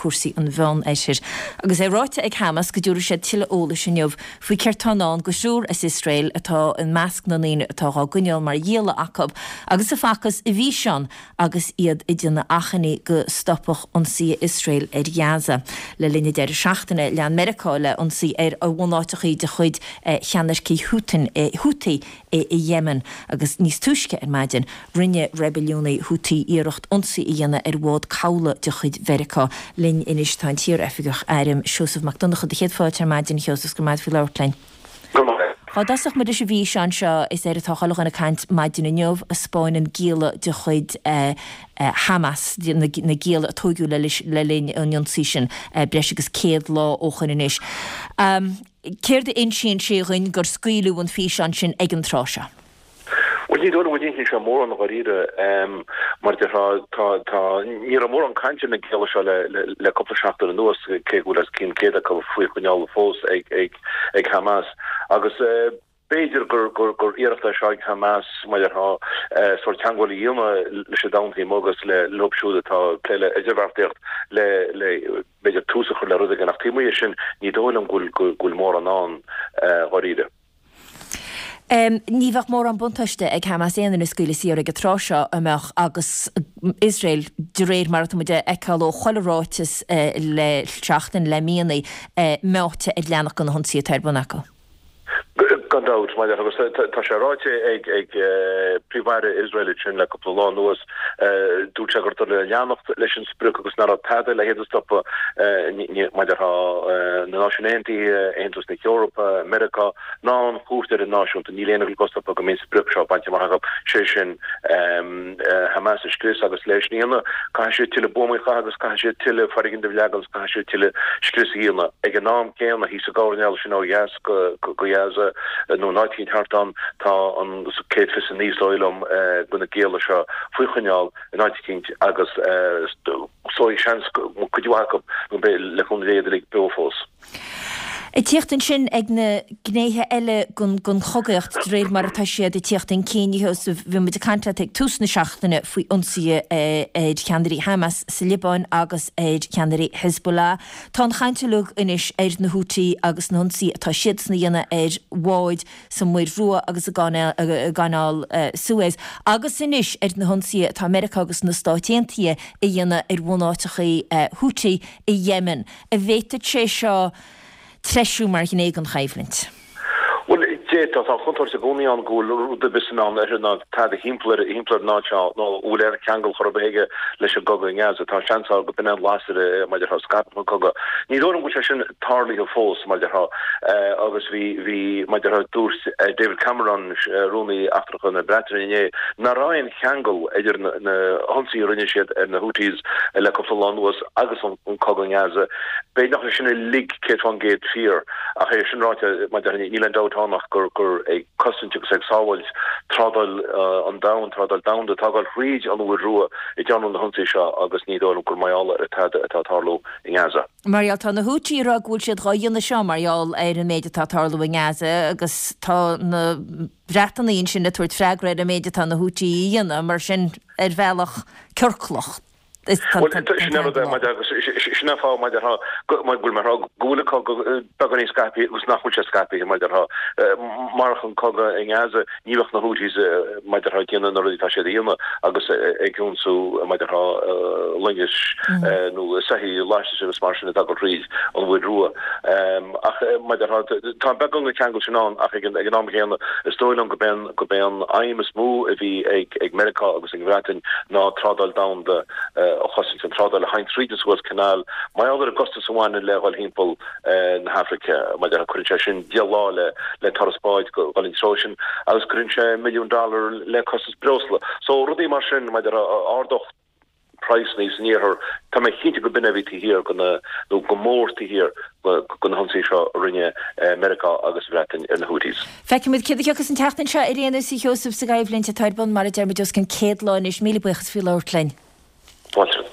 cúrsaí an Mheánoirthir. Agus é ráite ag Hamas go dtabharfaidh siad tuilleadh eolais inniu faoi céard tá i ndán do thriúr as Iosrael atá i measc na ndaoine atá dhá gcoinneáil mar ghialla acu agus a facthas i bhfíseán agus iad ag déanamh achainí go stopfadh ionsaithe Iosrael ar Ghaza. Le linn an deireadh seachtaine, lean Meiriceá le ionsaí ar bhunáiteachaí de chuid cheannaircigh Houthi i Yemen agus níos túisce ar maidin, rinne reibiliúnaigh Houthi iarracht ionsaí a dhéanamh ar bhád cabhlaigh de chuid Mheiriceá. Linn anois tá an t-iar-oifigeach airm Seosamh Mac Donncha. Do chéad fáilte ar maidin, a Sheosaimh, 's go raibh maith agat faoi labhairt linn. Go raibh maith agat. Dá dtosódh muid leis an bhfíseán seo, is air atá chuile dhuine ag caint maidin inniu, a 'spáineann gialla de chuid Hamas, na gialla a tóigeadh le linn an ionsaí sin breis agus 100 lá ó shoin anois. Céard a insíonn sé dhuinn gur scaoileadh an físeán sin ag an tráth seo? Bhuel, ní dóigh liom go n-insíonn sé mórán dháiríre. Mar a déarfá, tá, tá, ní raibh mórán cainte ar na gialla seo le, le, le cúpla seachtain anuas, cé go bhfuil os cionn 100 acu faoi choinneáil fós ag, ag, ag Hamas. Agus b'fhéidir gur, gur, gur iarracht é seo ag Hamas, mar a déarfá, sórt teagmháil a dhéanamh leis an domhan taobh amuigh agus le, leo siúd atá ag plé le idirbheartaíocht le, le, b'fhéidir tús a chur le rud éigin ach taobh amuigh de sin ní dóigh liom go bhfuil, go bhfuil mórán ann dháiríre. Ní bheadh mórán buntáiste ag Hamas aon duine a scaoileadh saor ag an tráth seo, an mbeadh, agus Iosrael, de réir mar atá muid a fheiceáil ó chuile ráiteas le seachtain, le míonna, meáite ar leanacht de na hionsaithe atá ar bun acu. Gan dabht, mar agus tá sé ráite ag Príomh-Aire Iosrael ansin le cúpla lá anuas, dúirt sé gur dóigh le leanacht leis an sprioc agus nach raibh tada le hiad a stopadh, mar a déarfá, na Náisiúin Aontaithe, Aontas na hEorpa, Meiriceá, ná an Chúirt Idirnáisiúnta, níl aon rud le stopadh go mbeidh an sprioc seo bainte amach acu, sé sin Hamas a scrios agus leis sin a dhéanamh caithfidh siad tuilleadh buamaí a chaitheamh agus caithfidh siad tuilleadh foirgnimh a leagan agus caithfidh siad tuilleadh scrios a dhéanamh. Ag an am céanna, thíos i gcoirnéal sin ó dheas, go Gaza nó in áit éicint thart ann. Tá an 129 is dóigh liom de na gialla seo faoi choinneáil in áit eicínt agus is dóigh seans go cuid mhaith acu nó beidh le cúnamh Dé iad uilig beo fós. Ag tíocht ansin ag na gnéithe eile den chogaíocht de réir mar atá siad ag tíocht chun cinn, a Sheosaimh, bhí muid ag caint leat ag tús na seachtaine faoi ionsaithe ar cheannairí Hamas sa Liobáin agus ar cheannairí Hezbollah. Tá an chaint uilig anois ar na Houthi agus na hionsaithe atá siadsan a dhéanamh ar bháid sa Muir Rua agus i gCanáil Suez, agus anois ar na hionsaithe atá Meiriceá agus na Stáit Aontaithe a dhéanamh ar bhunáiteachaí Houthi i Yemen. An bhféadfadh sé seo treisiú mar ghné den choimhlint? Bhuel, d'fhéadfadh. Tá an chontúirt i gcónaí ann go bhfuil rud ar bith sa Meán Oirthear ná tada thimpeall ar thimpeall ar an áit seo nó a bhfuil aon cheangal chor ar bith aige leis an gcogadh i nGaza. Tá seans ann go b'in é an lasair mar a déarfá a scaipfeadh an cogadh. Ní dóigh liom go bhfuil sé sin tarlaithe fós, mar a déarfá. Agus bhí, bhí, mar a déarfá, dúirt David Cameron, Rúnaí Eachtracha na Breataine inné, nach raibh aon cheangal idir na hionsaithe a rinne siad ar na Houthis le cúpla lá anuas agus an cogadh i nGaza. B'fhéidir nach bhfuil sin uilig 100% fíor. Ach é sin ráite, mar a déarfá, níl aon dabht ann ach gur gur ag cosaint agus ag sábháilt trádáil an domhain, trádáil domhanda atá ag dul thríd an Mhuir Rua a déanadh na hionsaithe seo agus ní dóigh liom gur mar gheall ar tada atá ag tarlú i nGaza. Mar gheall, tá na Houthi ag rá go bhfuil siad dhá dhéanamh seo mar gheall ar an méid atá ag tarlú i nGaza agus tá na Breatanaigh ansin ag tabhairt freagra ar an méid atá na Houthi a dhéanamh, mar sin ar bhealach ciorclach. Bhuel, sin é rud é, mar agus sin é an fáth, mar a déarfá, go bhfuil mé ag rá go bhfuil an cogadh beagáinín scaipthe agus nach bhfuil sé scaipthe, mar a déarfá. Marach an cogadh i nGaza, ní bheadh na Houthis, mar a déarfá, ag déanamh na rudaí atá siad a dhéanamh agus ag ionsú, mar a déarfá, loingis nó soithí lastais agus mar sin atá ag dul thríd an Mhuir Rua. Ach, mar a déarfá, tá beagán den cheangal sin ann ach ag an am chéanna, is dóigh liom gurb é gurb é an aidhm is mó a bhí ag Meiriceá agus ag an Bhreatain ná trádáil domhanda a chosaint, an trádáil a théann tríd an Suez Canal, mar gheall ar an gcostas a bhaineann le dhul thimpeall na hAfraice, mar a déarfá, cuireann sé sin 10 lá le le turas báid dhul an treo sin agus cuireann sé milliún dollar le costas breosla. So rudaí mar sin, mar a déarfá, ardódh praghsanna san iarthar, tá mé cinnte go b'in é a bhí taobh thiar de na, nó go mór taobh thiar de na hionsaithe seo a rinne Meiriceá agus an Bhreatain ar na Houthis. Feicfimid céard a thiocfas an tseachtain seo ar aon nós, a Sheosaimh, sa gcoimhlint atá ar bun, mar a deir muid, os cionn 100 lá anois. Míle buíochas faoi labhairt linn. Fáilte.